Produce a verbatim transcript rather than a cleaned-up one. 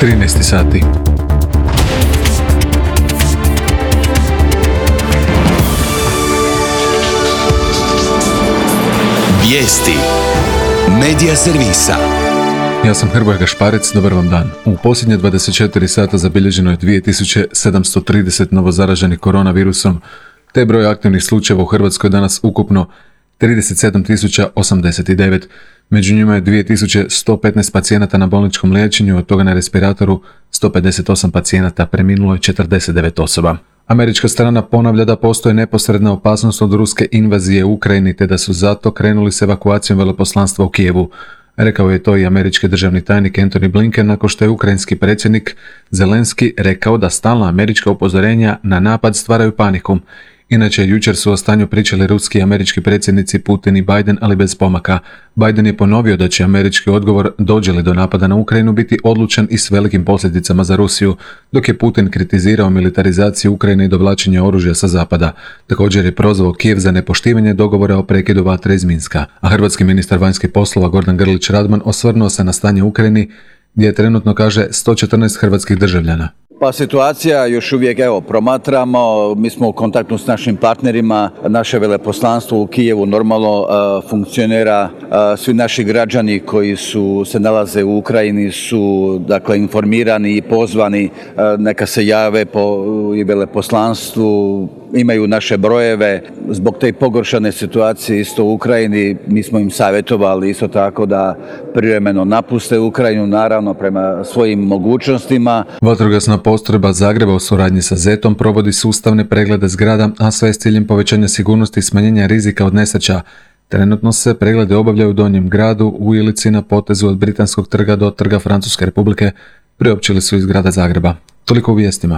trinaest sati. Vijesti Medija servisa. Ja sam Hrvoje Gašparec, dobar vam dan. U posljednje dvadeset četiri sata zabilježeno je dvije tisuće sedamsto trideset novozaraženih koronavirusom, te broj aktivnih slučajeva u Hrvatskoj danas ukupno trideset sedam tisuća osamdeset devet. Među njima je dvije tisuće sto petnaest pacijenata na bolničkom liječenju, od toga na respiratoru sto pedeset osam pacijenata, preminulo je četrdeset devet osoba. Američka strana ponavlja da postoji neposredna opasnost od ruske invazije u Ukrajini, te da su zato krenuli s evakuacijom veleposlanstva u Kijevu. Rekao je to i američki državni tajnik Antony Blinken nakon što je ukrajinski predsjednik Zelenski rekao da stalna američka upozorenja na napad stvaraju paniku. Inače, jučer su o stanju pričali ruski i američki predsjednici Putin i Biden, ali bez pomaka. Biden je ponovio da će američki odgovor, dođe li do napada na Ukrajinu, biti odlučan i s velikim posljedicama za Rusiju, dok je Putin kritizirao militarizaciju Ukrajine i dovlačenje oružja sa zapada. Također je prozvao Kijev za nepoštivanje dogovora o prekidu vatre iz Minska. A hrvatski ministar vanjskih poslova Gordan Grlić Radman osvrnuo se na stanje u Ukrajini, gdje je trenutno, kaže, sto četrnaest hrvatskih državljana. Pa situacija još uvijek, evo, promatramo, mi smo u kontaktu s našim partnerima, naše veleposlanstvo u Kijevu normalno uh, funkcionira, uh, svi naši građani koji su se nalaze u Ukrajini su, dakle, informirani i pozvani, uh, neka se jave po i veleposlanstvu, imaju naše brojeve. Zbog te pogoršane situacije isto u Ukrajini, mi smo im savjetovali isto tako da privremeno napuste Ukrajinu, naravno prema svojim mogućnostima. Vatrogasna postrojba Zagreba u suradnji sa zetom provodi sustavne preglede zgrada, a sve s ciljem povećanja sigurnosti i smanjenja rizika od nesreća. Trenutno se preglede obavljaju u Donjem gradu, u Ilici, na potezu od Britanskog trga do Trga Francuske Republike, priopćili su iz grada Zagreba. Toliko u vijestima.